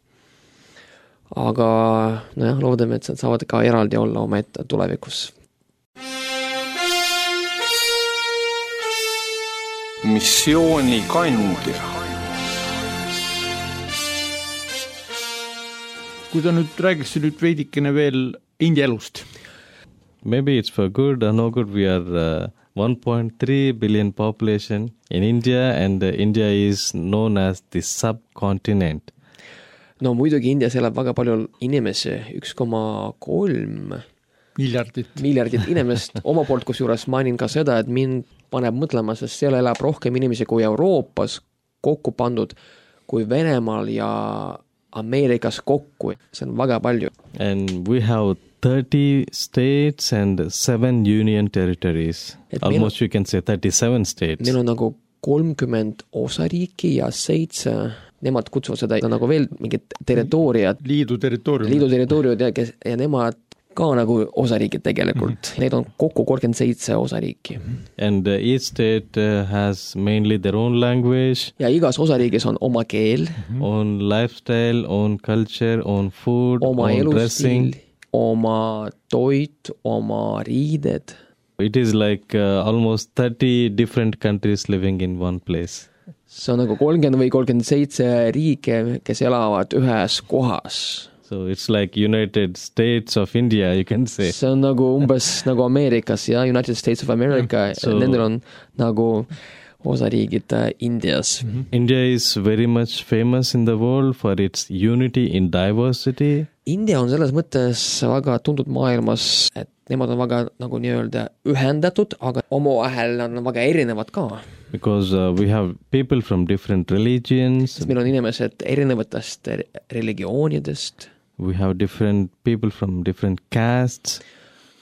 Aga loodame, et nad saavad ka eraldi olla omaette tulevikus. Missioonikandja. Kui ta nüüd räägiks veidikene veel India elust. Maybe it's for good or no good. We are 1.3 billion population in India, and India is known as the subcontinent. No muidugi Indias elab väga palju inimesi, 1,3 miljardit inimest. Oma poolt kusjuures mainin ka seda, et mind paneb mõtlema, sest seal elab rohkem inimesi kui Euroopas kokku pandud kui Venemaal ja Ameerikas kokku. See on väga palju. And we have 30 states and 7 union territories. Almost you can say 37 states. Meil on nagu 30 osariiki ja 7, nemad kutsuvad seda nagu veel mingit territooriat. Liidu territooriumid ja nemad ka nagu osariigid tegelikult. Neid on kokku 37 osariiki. And each state has mainly their own language. Ja igas osariigis on oma keel. Own lifestyle, own culture, own food, oma own elustiil, dressing. Oma toit, oma riided. It is like almost 30 different countries living in one place. See on nagu 30 või 37 riike, kes elavad ühes kohas. So it's like United States of India, you can say. See on nagu umbes nagu Ameerikas ja United States of America. Nendel on nagu osariigid Indias. India is very much famous in the world for its unity in diversity. India on selles mõttes väga tuntud maailmas, et nemad on väga nagu nii-öelda ühendatud, aga omavahel on väga erinevad ka. Because we have people from different religions. Meil on inimesed erinevatest religioonidest. We have different people from different castes.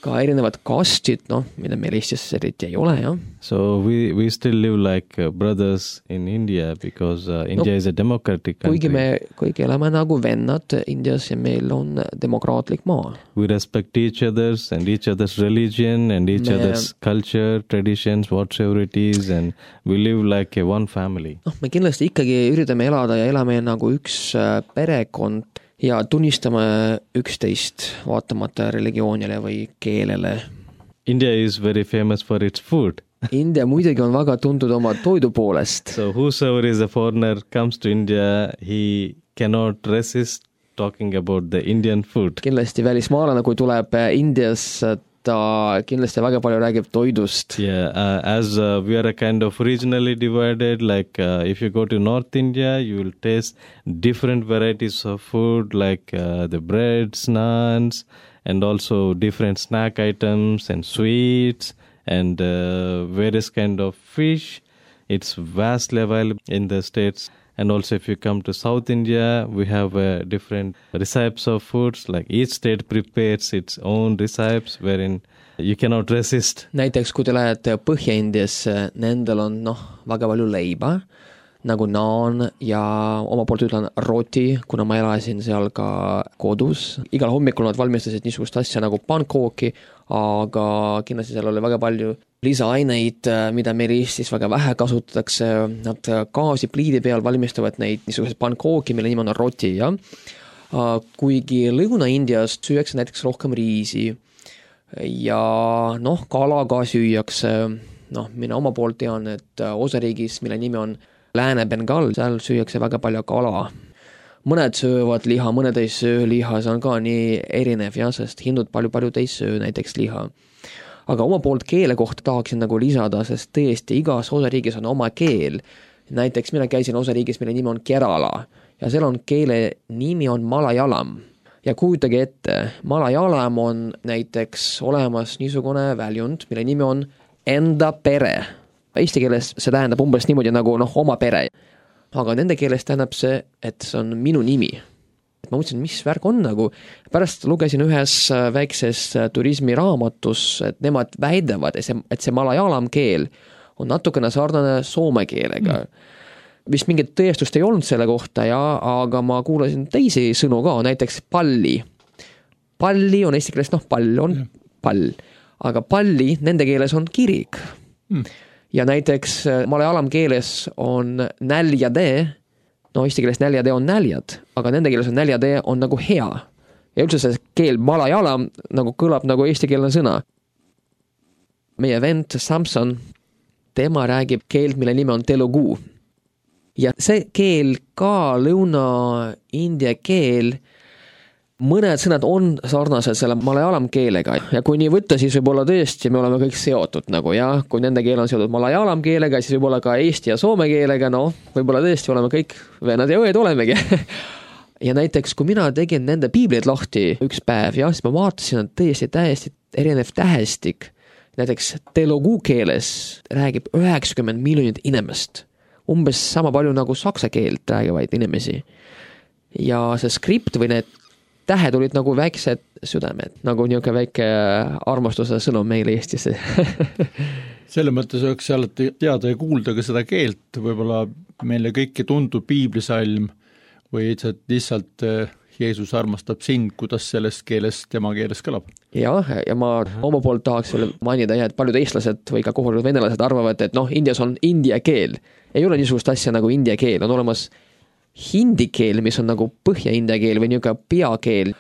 Ka erinevad kastid, mida meil Eestis eriti ei ole, jah. So we still live like brothers in India because India is a democratic country. Kuigi elame nagu vennad Indias ja meil on demokraatlik maa. We respect each other's and each other's religion and each other's culture, traditions, whatsoever it is, and we live like one family. Me kindlasti ikkagi üritame elada ja elame nagu üks perekond ja tunnistame üksteist vaatamata religioonile või keelele. India is very famous for its food. India muidugi on väga tuntud oma toidu poolest. So whosoever is a foreigner comes to India, he cannot resist talking about the Indian food. Kindlasti välismaalane, kui tuleb Indias, ta kindlasti väga palju räägib toidust. Yeah, as we are a kind of regionally divided, like if you go to North India, you will taste different varieties of food, like the breads, naans, and also different snack items and sweets and various kind of fish. It's vastly available in the states. And also if you come to South India, we have different recipes of foods, like each state prepares its own recipes wherein you cannot resist. Näiteks kui te lähete Põhja-Indias, nendel on väga palju leiba, nagu naan ja oma poolt ütlen roti, kuna ma elasin seal ka kodus. Igal hommikul nad valmistasid niisugust asja nagu pankooki, aga kindlasti seal oli väga palju lisaaineid, mida meil Eestis väga vähe kasutatakse. Nad gaasi pliidi peal valmistavad neid niisugused pankooki, mille nimi on roti, ja kuigi Lõuna-Indias süüakse näiteks rohkem riisi ja kala ka süüakse. Mina oma poolt tean, et osariigis, mille nimi on Lääne-Bengal, seal süüakse väga palju kala. Mõned söövad liha, mõned ei söö liha, see on ka nii erinev, sest hindud palju ei söö näiteks liha. Aga oma poolt keele kohta tahaksin nagu lisada, sest tõesti igas osariigis on oma keel. Näiteks mina käisin osariigis, mille nimi on Kerala ja seal on keele nimi on Malayalam. Ja kujutage ette, Malayalam on näiteks olemas niisugune väljund, mille nimi on enda pere. Eesti keeles see tähendab umbes niimoodi nagu oma pere. Aga nende keeles tähendab see, et see on minu nimi. ma mõtlesin, mis värk on nagu. Pärast lugesin ühes väikses turismiraamatus, et nemad väidavad, et see malajalam keel on natukene sarnane soome keelega. Vist mingit tõestust ei olnud selle kohta, aga ma kuulasin teisi sõnu ka, näiteks palli. Palli on eesti keeles, pall on pall, aga palli nende keeles on kirik. Ja näiteks malajalam keeles on näljade, eesti keeles näljade on näljad, aga nende keeles on näljade on nagu hea. Ja üldse see keel malajalam nagu kõlab nagu eestikeelne sõna. Meie vend Samson, tema räägib keelt, mille nime on telugu. Ja see keel ka Lõuna-India keel, mõned sõnad on sarnased selle malajalam keelega ja kui nii võtta, siis võib-olla tõesti me oleme kõik seotud nagu kui nende keel on seotud malajalam keelega, siis võib-olla ka eesti ja soome keelega, võib-olla tõesti oleme kõik vennad ja õed olemegi. Ja näiteks, kui mina tegin nende piiblid lahti üks päev, siis ma vaatasin, et täiesti erinev tähestik. Näiteks telugu keeles räägib 90 miljonit inimest. Umbes sama palju nagu saksa keelt räägivaid inimesi. Ja see skript või need tähed olid nagu väiksed südamed, nagu niisugune väike armastuse sõnum meile Eestisse. Selle mõttes oleks alati teada ja kuulda ka seda keelt, võib-olla meile kõiki tundub piiblisalm või lihtsalt Jeesus armastab sind, kuidas selles keeles, tema keeles kõlab. Ja ma oma poolt tahaks veel mainida, et paljud eestlased või ka kohalikud venelased arvavad, et Indias on india keel. Ei ole niisugust asja nagu india keel, on olemas hindi keel, mis on nagu põhja-india keel või niisugune peakeel.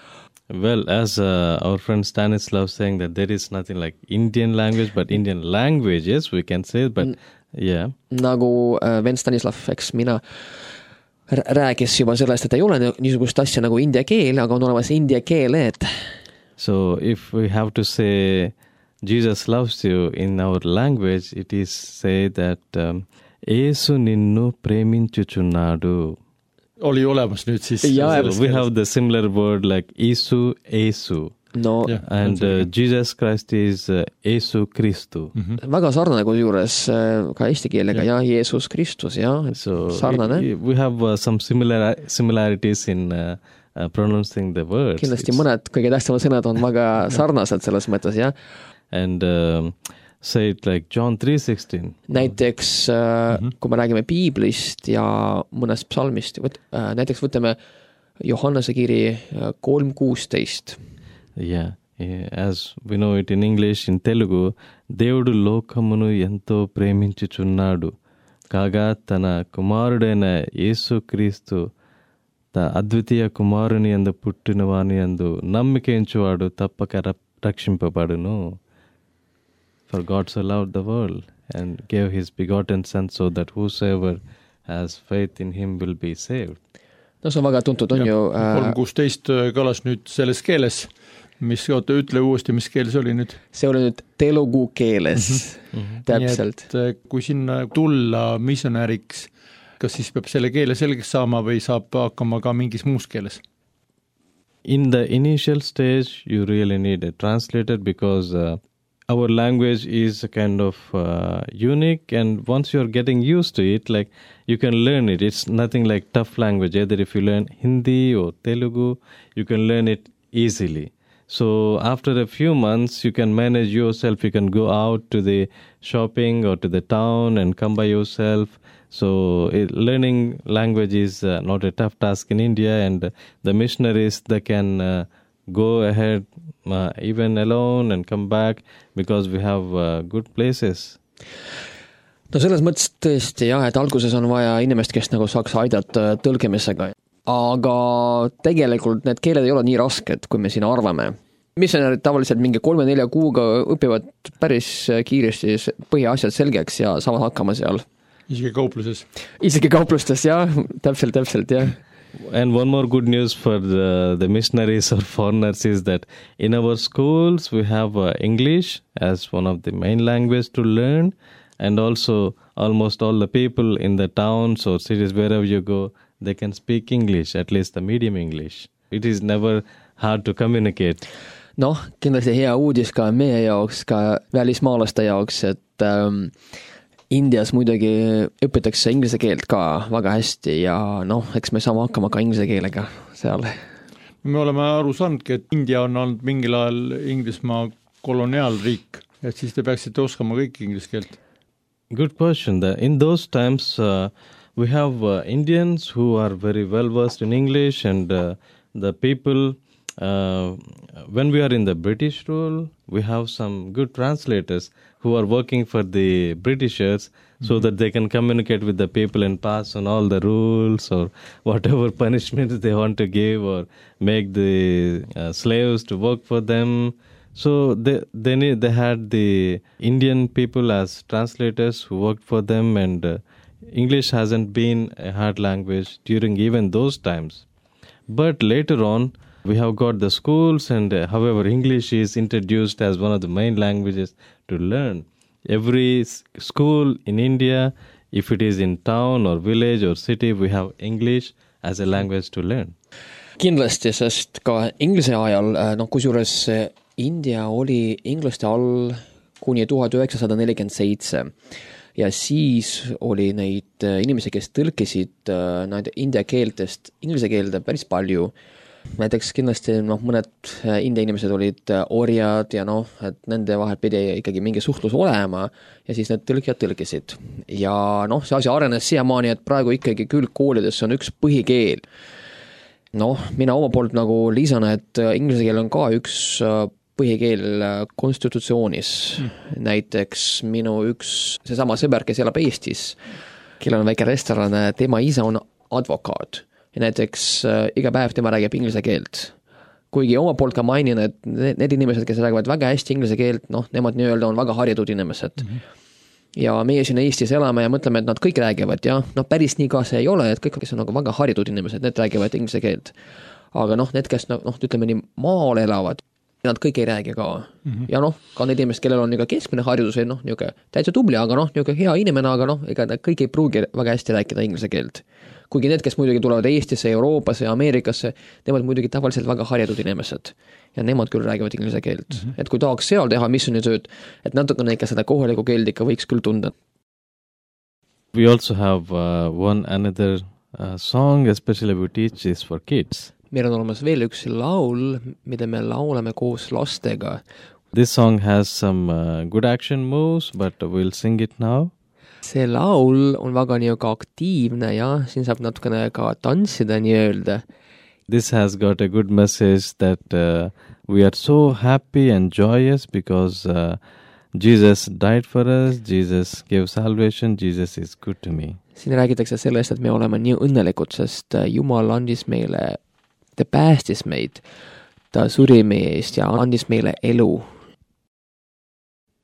Well, as our friend Stanislav saying that there is nothing like Indian language, but Indian languages we can say, but yeah. Nagu vend Stanislav, eks mina räägis juba sellest, et ei ole niisugust asja nagu india keel, aga on olemas india keeled. So if we have to say Jesus loves you in our language, it is say that Eesu ninnu preminchuchunnadu. Oli olemas nüüd siis. So we have the similar word like Eesu. No, and Jesus Christ is Eesu Kristu. Väga sarnane kui juures ka eesti keelega, Jeesus Kristus, so sarnane. We have some similarities in pronouncing the words. Kindlasti mõned kõige tähtsamad sõnad on väga sarnased selles mõttes, And say it like John 3:16. Näiteks, kui me räägime piiblist ja mõnest psalmist, näiteks võtame Johannese kiri 3:16. Yeah, as we know it in English, in Telugu, Devudu lokamunu ento preminchuchunnadu, kaga tana kumarudena Yesu Kristu ta advitiya kumaruni andu puttinavani andu nammike unchuvaadu tappaka rakshimpapadunu. For God so loved the world and gave his begotten son so that whosoever has faith in him will be saved. No see on väga tuntud, on ju. 3:16 kõlas nüüd selles keeles, ütle uuesti, mis keel see oli nüüd? See oli nüüd telugu keeles, täpselt. Nii et kui sinna tulla missionäriks, kas siis peab selle keele selgeks saama või saab hakkama ka mingis muus keeles? In the initial stage, you really need a translator because our language is kind of unique, and once you're getting used to it, like you can learn it. It's nothing like tough language. Either if you learn Hindi or Telugu, you can learn it easily. So after a few months, you can manage yourself. You can go out to the shopping or to the town and come by yourself. So learning language is not a tough task in India, and the missionaries, they can go ahead even alone and come back because we have good places. No selles mõttes tõesti et alguses on vaja inimest, kes nagu saaks aidata tõlkimisega. Aga tegelikult need keeled ei ole nii rasked, kui me siin arvame. Missionärid tavaliselt mingi 3-4 kuuga õpivad päris kiiresti põhiasjad selgeks ja saavad hakkama seal. Isegi kaupluses. Isegi kauplustes, täpselt. And one more good news for the missionaries or foreigners is that in our schools we have English as one of the main languages to learn, and also almost all the people in the towns or cities wherever you go, they can speak English, at least the medium English. It is never hard to communicate. No, kindlasti hea uudis ka meie jaoks, ka välismaalaste jaoks, et Indias muidugi õpitakse inglise keelt ka väga hästi ja eks me saame hakkama ka inglise keelega seal. me oleme aru saanudki, et India on olnud mingil ajal Inglismaa koloniaalriik, et siis te peaksite oskama kõik inglise keelt. Good question. In those times, we have Indians who are very well versed in English, and the people, when we are in the British rule, we have some good translators who are working for the Britishers so that they can communicate with the people and pass on all the rules or whatever punishments they want to give, or make the slaves to work for them. So they had the Indian people as translators who worked for them, and English hasn't been a hard language during even those times. But later on, we have got the schools, and however, English is introduced as one of the main languages to learn. Every school in India, if it is in town or village or city, we have English as a language to learn. Kindlasti, sest ka inglise ajal, kusjuures India oli inglaste all kuni 1947 ja siis oli neid inimesi, kes tõlkisid nende india keeltest inglise keelde päris palju. Näiteks kindlasti mõned India inimesed olid orjad ja et nende vahel pidi ikkagi mingi suhtlus olema ja siis need tõlkijad tõlkisid. Ja see asi arenes siiamaani, et praegu ikkagi küll koolides on üks põhikeel. Mina oma poolt lisan, et inglise keel on ka üks põhikeel konstitutsioonis. Näiteks minu seesama sõber, kes elab Eestis, kellel on väike restoran, tema isa on advokaat. Ja näiteks iga päev tema räägib inglise keelt. Kuigi oma poolt ka mainin, et need inimesed, kes räägivad väga hästi inglise keelt, nemad nii-öelda on väga harjutud inimesed. Ja meie siin Eestis elame ja mõtleme, et nad kõik räägivad ja päris nii ka see ei ole, et kõik, kes on väga harjutud inimesed, need räägivad inglise keelt. Aga need, kes ütleme nii maal elavad, nad kõik ei räägi ka. Ja ka need inimesed, kellel on keskmine haridus või täitsa tubli, aga hea inimene, aga ega kõik ei pruugi väga hästi rääkida inglise keelt. Kuigi need, kes muidugi tulevad Eestisse, Euroopasse ja Ameerikasse, nemad muidugi tavaliselt väga harjutud inimesed. Ja nemad küll räägivad inglise keelt. Et kui tahaks seal teha missionitööd, et natukene ikka seda kohaliku keelt ikka võiks küll tunda. We also have another song, especially we teach this for kids. Meil on olemas veel üks laul, mida me laulame koos lastega. This song has some good action moves, but we'll sing it now. See laul on väga aktiivne ja siin saab natukene ka tantsida nii-öelda. This has got a good message that we are so happy and joyous because Jesus died for us, Jesus gave salvation, Jesus is good to me. Siin räägitakse sellest, et me oleme nii õnnelikud, sest Jumal andis meile, ta päästis meid, ta suri meie eest ja andis meile elu.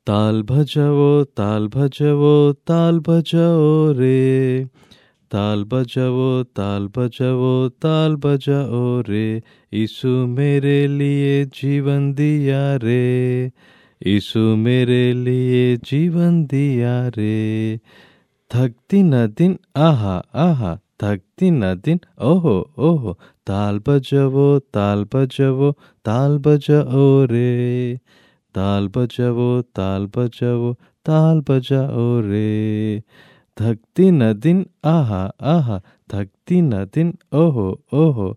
ताल भजवो ताल भजवो ताल भजओ रे ताल भजवो ताल भजवो ताल भजओ रे यीशु मेरे लिए जीवन दिया रे यीशु मेरे लिए जीवन दिया रे थकती न दिन आहा आहा थकती न दिन ओहो ओहो ताल भजवो ताल भजवो ताल भजओ रे ताल बजाओ ताल बजाओ ताल बजाओ रे थकती न दिन आहा आहा थकती न दिन ओहो ओहो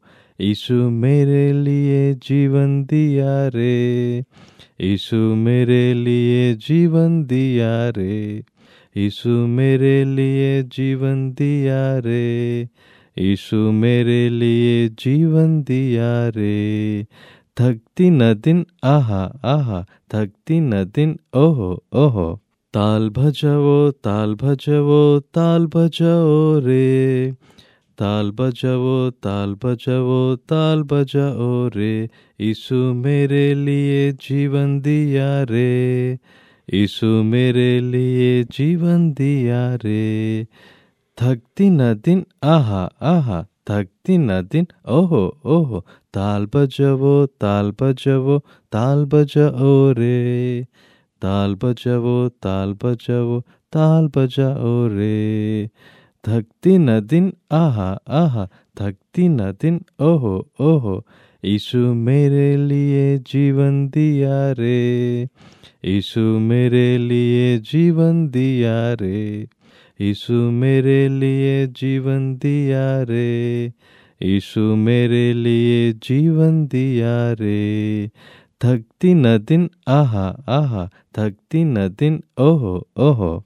यीशु मेरे लिए जीवन दिया रे यीशु मेरे लिए जीवन दिया रे यीशु मेरे लिए जीवन दिया रे यीशु मेरे लिए जीवन दिया रे थकती न दिन आहा आहा थकती न दिन ओहो ओहो ताल भजवो ताल भजवो ताल भजओ रे ताल बजाओ ताल बजाओ ताल बजाओ रे यीशु मेरे लिए जीवन दिया रे यीशु मेरे लिए जीवन दिया रे थकती न दिन आहा आहा थकती न दिन ओहो ओहो ताल बजाओ ताल बजाओ ताल बजाओ रे ताल बजाओ ताल बजाओ ताल बजाओ रे थकती न दिन आहा आहा थकती न दिन ओहो ओहो यीशु मेरे लिए जीवन दिया रे यीशु मेरे लिए जीवन दिया रे यीशु मेरे लिए जीवन दिया रे यीशु मेरे लिए जीवन दिया रे, थकती न दिन आहा आहा, थकती न दिन ओहो ओहो.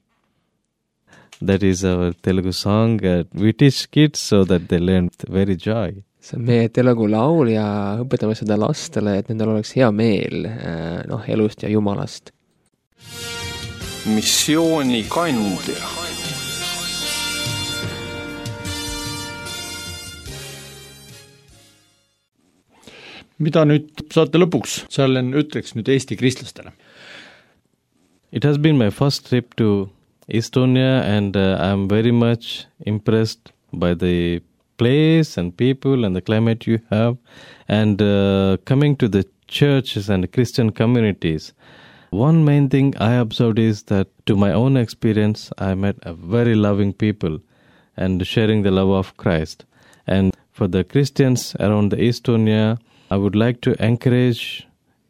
That is our Telugu song. We teach kids so that they learn very joy. See on meie telugu laul ja õpetame seda lastele, et nendel oleks hea meel elust ja Jumalast. Missioonikandja. Mida nüüd saate lõpuks, Charlen, ütleks nüüd Eesti kristlastele? It has been my first trip to Estonia and I'm very much impressed by the place and people and the climate you have, and coming to the churches and Christian communities. One main thing I observed is that to my own experience, I met a very loving people and sharing the love of Christ. And for the Christians around the Estonia, I would like to encourage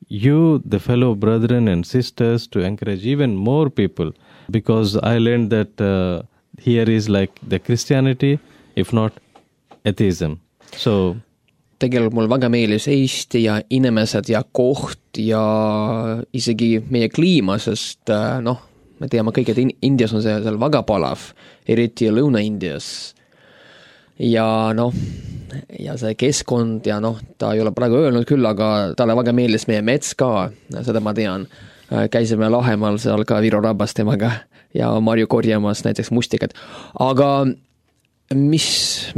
you, the fellow brethren and sisters, to encourage even more people, because I learned that here is like the Christianity, if not atheism. So tegelikult mul väga meeldis Eesti ja inimesed ja koht ja isegi meie kliima, sest me teame kõik, et Indias on see seal väga palav, eriti Lõuna-Indias. Ja ja see keskkond ja ta ei ole praegu öelnud küll, aga talle väga meeldis meie mets ka, seda ma tean. Käisime Lahemaal seal ka Viru rabas temaga ja Marju korjamas näiteks mustikad. Aga mis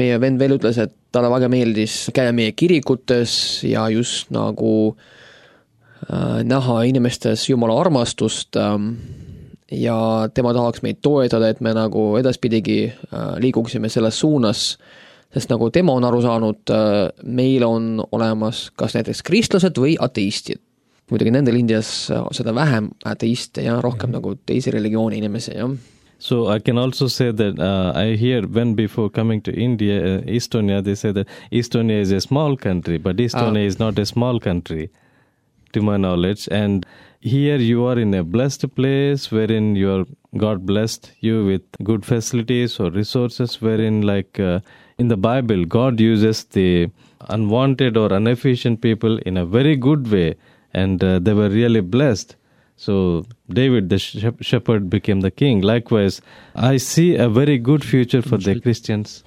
meie vend veel ütles, et talle väga meeldis käia meie kirikutes ja just nagu näha inimestes Jumala armastust ja tema tahaks meid toetada, et me nagu edaspidigi liiguksime selles suunas, sest nagu tema on aru saanud, meil on olemas kas näiteks kristlased või ateistid. Muidugi nendel Indias seda vähem ateiste ja rohkem nagu teisi religiooni inimesi, jah. So I can also say that I hear when before coming to India, Estonia, they say that Estonia is a small country, but Estonia is not a small country, to my knowledge. And here you are in a blessed place wherein God blessed you with good facilities or resources, wherein like in the Bible, God uses the unwanted or inefficient people in a very good way, and they were really blessed. So David, the shepherd, became the king. Likewise, I see a very good future for the Christians.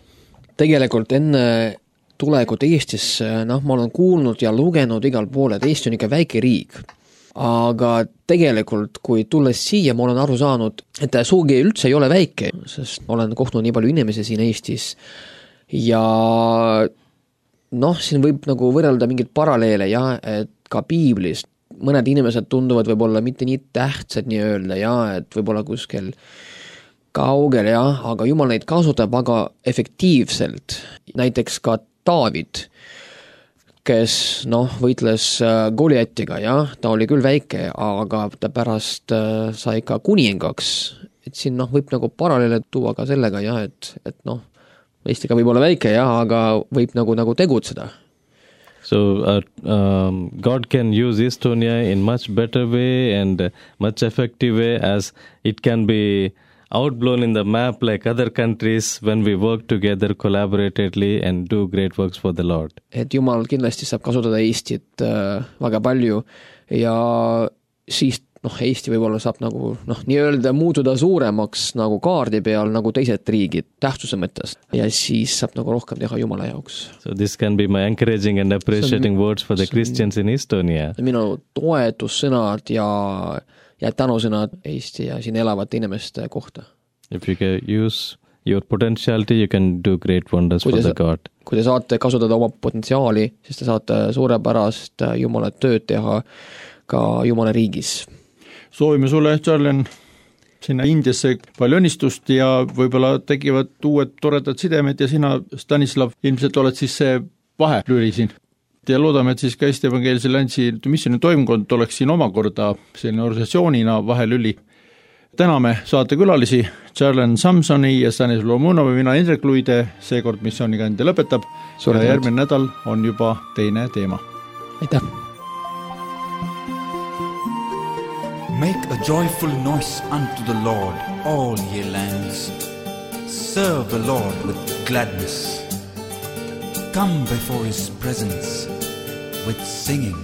Tegelikult enne tulekut Eestisse, ma olen kuulnud ja lugenud igal pool, et Eesti on ikka väike riik. Aga tegelikult, kui tulles siia, ma olen aru saanud, et suugi üldse ei ole väike, sest ma olen kohtunud nii palju inimesi siin Eestis. Ja siin võib nagu võrrelda mingid paralleele, et ka Piiblis mõned inimesed tunduvad võib-olla mitte nii tähtsad nii öelda, et võib-olla kuskil kaugel, aga Jumal neid kasutab väga efektiivselt. Näiteks ka David, kes võitles Goliatiga, ta oli küll väike, aga ta pärast sai ka kuningaks. Et siin võib nagu paralleele tuua ka sellega, et Eestiga võib olla väike, aga võib nagu tegutseda. So God can use Estonia in much better way and much effective way, as it can be outblown in the map like other countries when we work together collaboratively and do great works for the Lord. Et Jumal kindlasti saab kasutada Eestit väga palju ja siis Eesti võib-olla saab nagu nii öelda muutuda suuremaks nagu kaardi peal nagu teised riigid tähtsuse mõttes ja siis saab nagu rohkem teha Jumala jaoks. So this can be my encouraging and appreciating words for the Christians in Estonia. Minu toetussõnad ja tänusõnad Eesti ja siin elavate inimeste kohta. If you can use your potentiality, you can do great wonders for the God. Kui te saate kasutada oma potentsiaali, siis te saate suurepärast Jumala tööd teha ka Jumala riigis. Soovime sulle, Charlen, sinna Indiasse palju õnnistust ja võib-olla tekivad uued toredad sidemed ja sina, Stanislav, ilmselt oled siis see vahelüli siin. Ja loodame, et siis ka Eesti Evangeelse Alliansi missiooni toimkond oleks siin omakorda selline organisatsioonina vahelüli. Täname saatekülalisi Charlen Samsoni ja Stanislav Lomunovi, mina Indrek Luide, seekord missioonikandja lõpetab. Ja järgmine nädal on juba teine teema. Aitäh! Make a joyful noise unto the Lord, all ye lands. Serve the Lord with gladness. come before His presence with singing.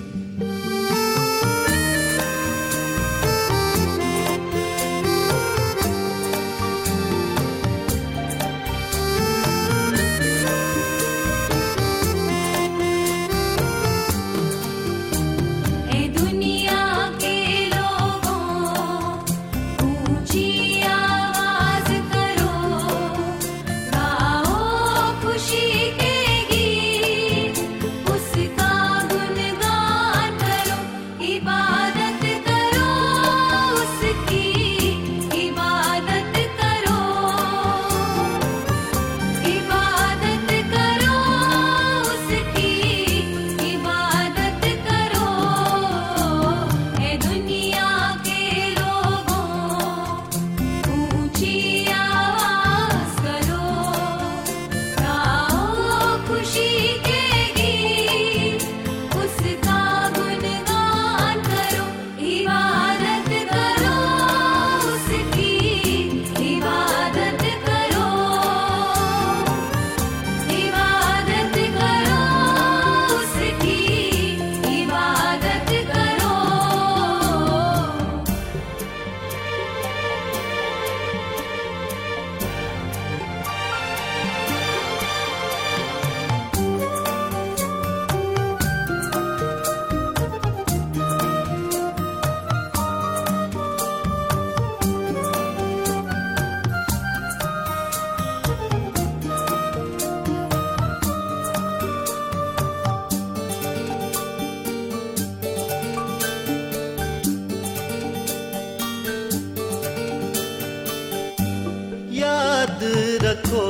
रखो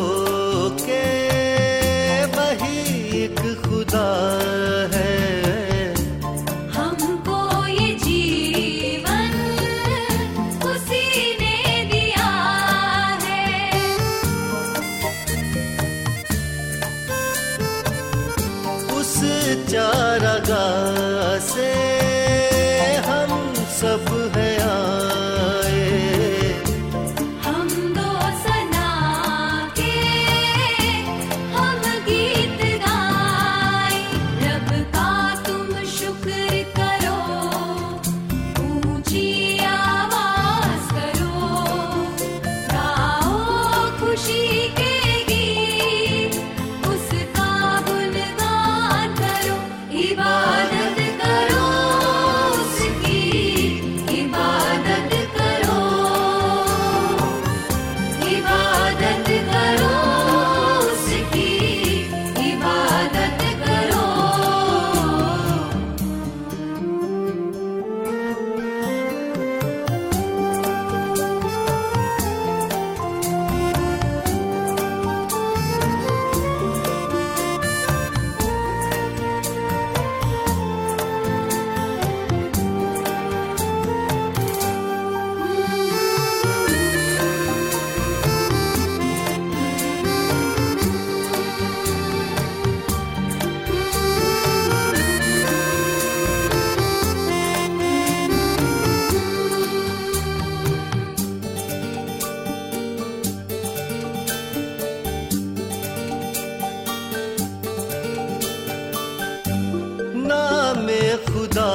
के वही एक खुदा है, हमको ये जीवन उसी ने दिया है। उस चारागाह से हम सब हैं आए, नामे खुदा